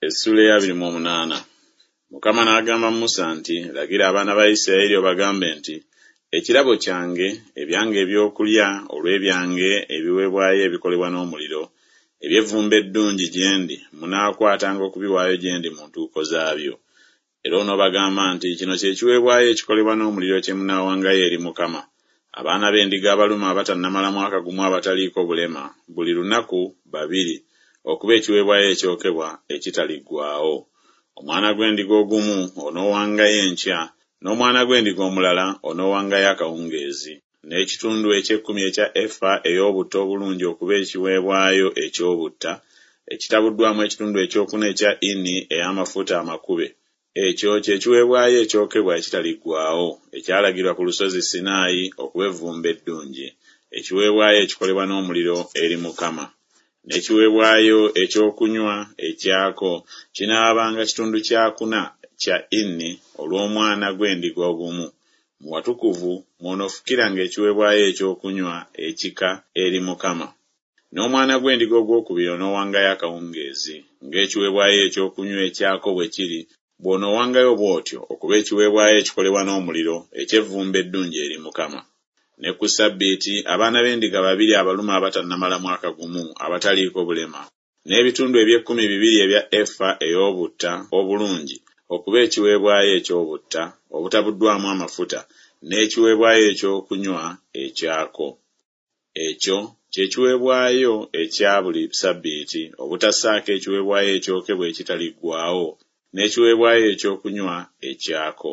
Essuula ey'abiri mu omunaana. Mukama n'agamba Musa nti, Lagira abaana ba Isirayiri obagambe nti, Ekirabo kyange, ebyange ebyokulya olw'ebyange ebiweebwayo ebikolebwa n'omuliro, eby'evvumbe eddungi gye ndi, munaakwatanga okubiwaayo gye ndi mu ntuuko zaabyo. Era onoobagamba nti, Kino kye kiweebwayo ekikolebwa n'omuliro kye munaawangayo eri Mukama, abaana b'endiga abalume abatannamala mwaka gumu abataliiko bulema, buli lunaku babiri, okuba ekiweebwayo ekyokebwa ekitaliggwaawo. Omwana gw'endiga ogumu onoowangayo enkya, n'omwana gw'endiga omulala onoowangayo akawungeezi, n'ekitundu eky'ekkumi ekya efa ey'obutta obulungi okuba ekiweebwayo eky'obutta, ekitabuddwamu ekitundu ekyokuna ekya ini ey'amafuta amakube. Ekyo kye kiweebwayo ekyokebwa ekitaliggwaawo, ekyalagirwa ku lusozi Sinaayi okuba evvumbe eddungi, ekiweebwayo ekikolebwa n'omuliro eri Mukama. N'ekiweebwayo ekyokunywa ekyako kinaabanga kitundu kya kuna kya ini olw'omwana gw'endiga ogumu, mu watukuvu mw'onoofukiranga ekiweebwayo ekyokunywa ekika eri Mukama. N'omwana gw'endiga ogwokubiri onoowangayo akawungeezi, ng'ekiweebwayo ekyokunywa ekyako bwe kiri, bw'onoowangayo bw'otyo okuba ekiweebwayo ekikolebwa n'omuliro eky'evvumbe eddungi eri Mukama. Ne ku ssabbiiti abaana b'endiga babiri abalume abatannamala mwaka gumu abataliiko bulema, n'ebitundu eby'ekkumi bibiri ebya efa ey'obutta obulungi okuba ekiweebwayo eky'obutta obutabuddwamu amafuta n'ekiweebwayo ekyokunywa ekyako. Ekyo kye kiweebwayo ekya buli ssabbiiti, obutassaako ekiweebwayo ekyokebwa ekitaliggwaawo n'ekiweebwayo ekyokunywa ekyako.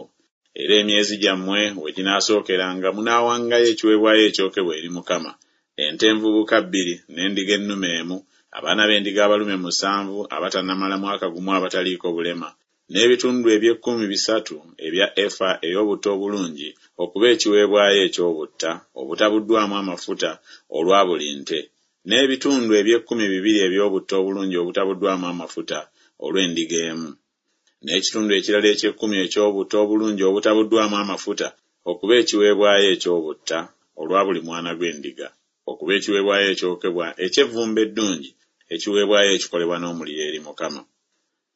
Era emyezi gyammwe we ginaasookeranga munaawangayo ekiweebwayo ekyokebwa eri Mukama, ente envubuka bbiri n'endiga ennume emu, abaana b'endiga abalume musanvu abatannamala mwaka gumu abataliiko bulema, n'ebitundu eby'ekkumi bisatu ebya efa ey'obutta obulungi okuba ekiweebwayo eky'obutta obutabuddwamu amafuta olwa buli nte, n'ebitundu eby'ekkumi bibiri eby'obutta obulungi obutabuddwamu amafuta olw'endiga emu, n'ekitundu ekirala eky'ekkumi eky'obutta obulungi obutabuddwamu amafuta okuba ekiweebwayo eky'obutta olwa buli mwana gw'endiga, okuba ekiweebwayo ekyokebwa eky'evvumbe eddungi, ekiweebwayo ekikolebwa n'omuliro eri Mukama.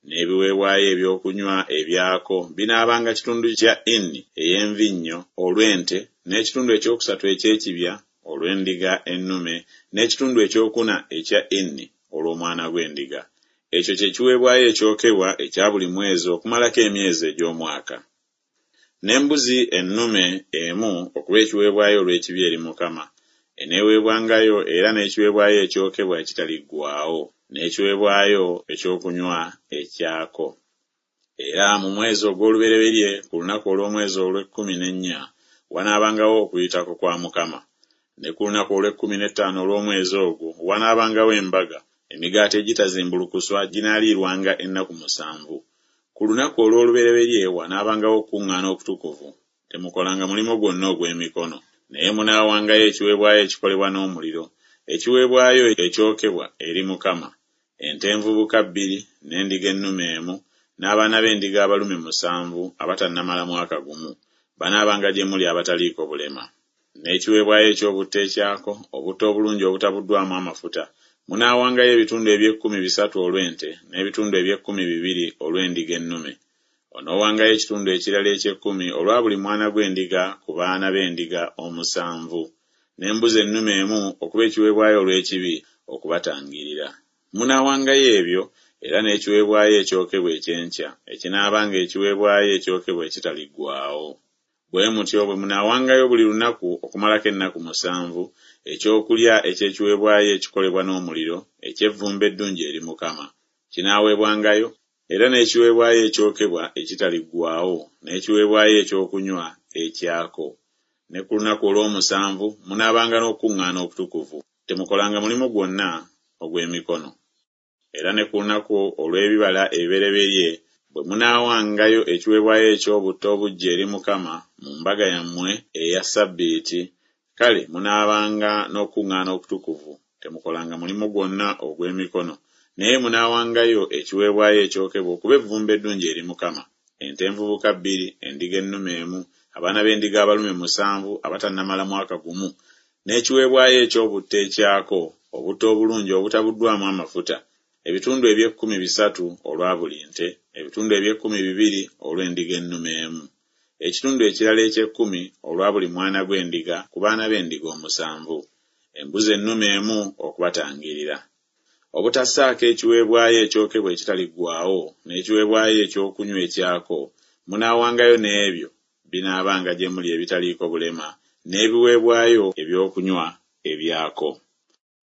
N'ebiweebwayo ebyokunywa ebyako binaabanga kitundu kya ini ey'envinnyo olw'ente, n'ekitundu ekyokusatu eky'ekibya olw'endiga ennume, n'ekitundu ekyokuna ekya ini olw'omwana gw'endiga. Ekyo kye kiweebwayo ekyokebwa ekya buli mwezi okumalako emyezi egy'omwaka. N'embuzi ennume emu okuba ekiweebwayo olw'ekibi eri Mukama, eneeweebwangayo era n'ekiweebwayo ekyokebwa ekitaliggwaawo, n'ekiweebwayo ekyokunywa ekyako. Era mu mwezi ogw'olubereberye ku lunaku olw'omwezi olw'ekkumi n'ennya wanaabangawo Okuyitako kwa Mukama. Ne ku lunaku olw'ekkumi n'ettaano olw'omwezi ogwo wanaabangawo embaga, emigaati egitazimbulukuswa ginaaliirwanga ennaku musanvu. Ku lunaku olw'olubereberye wanaabangawo okukuŋŋaana okutukuvu, temukolanga mulimu gwonna ogw'emikono. Naye munaawangayo ekiweebwayo ekikolebwa n'omuliro, ekiweebwayo ekyokebwa eri Mukama, ente envubuka bbiri, n'endiga ennume emu, n'abaana b'endiga abalume musanvu abatannamala mwaka gumu, banaabanga gye muli abataliiko bulema. N'ekiweebwayo eky'obutta ekyako, obutta obulungi obutabuddwamu amafuta, munaawangayo ebitundu eby'ekkumi bisatu olw'ente, n'ebitundu eby'ekkumi bibiri olw'endiga ennume. Onoowangayo ekitundu ekirala eky'ekkumi olwa buli mwana gw'endiga ku baana b'endiga omusanvu, n'embuzi ennume emu okuba ekiweebwayo olw'ekibi okubatangirira. Munaawangayo ebyo era n'ekiweebwayo ekyokebwa eky'enkya, ekinaabanga ekiweebwayo ekyokebwa ekitaliggwaawo. Bwe mutyo bwe munaawangayo buli lunaku okumalako ennaku musanvu, ekyokulya eky'ekiweebwayo ekikolebwa n'omuliro, eky'evvumbe eddungi eri Mukama. Kinaaweebwangayo era n'ekiweebwayo ekyokebwa ekitaliggwaawo, n'ekiweebwayo ekyokunywa ekyako. Ne ku lunaku olw'omusanvu munaabanga n'okukuŋŋaana okutukuvu, temukolanga mulimu gwonna ogw'emikono. Era ne ku lunaku olw'ebibala ebibereberye bwe munaawangayo ekiweebwayo eky'obutta obuggya eri Mukama mu mbaga yammwe eya ssabbiiti, kale munaabanga n'okukuŋŋaana okutukuvu, temukolanga mulimu gwonna ogw'emikono, naye munaawangayo ekiweebwayo ekyokebwa okuba evvumbe eddungi eri Mukama, ente envubuka bbiri, endiga ennume emu, abaana b'endiga abalume musanvu abatannamala mwaka gumu, n'ekiweebwayo eky'obutta ekyako, obutta obulungi obutabuddwamu amafuta, Ebitundu eby'ekkumi bisatu olwa buli nte, ebitundu eby'ekkumi bibiri olw'endiga ennume emu, ekitundu ekirala eky'ekkumi olwa buli mwana gw'endiga ku baana b'endiga omusanvu, embuzi ennume emu okubatangirira. Obutassaako ekiweebwayo ekyokebwa ekitaliggwaawo n'ekiweebwayo ekyokunywa ekyako, munaawangayo n'ebyo binaabanga gye muli ebitaliiko bulema n'ebiweebwayo ebyokunywa ebyako.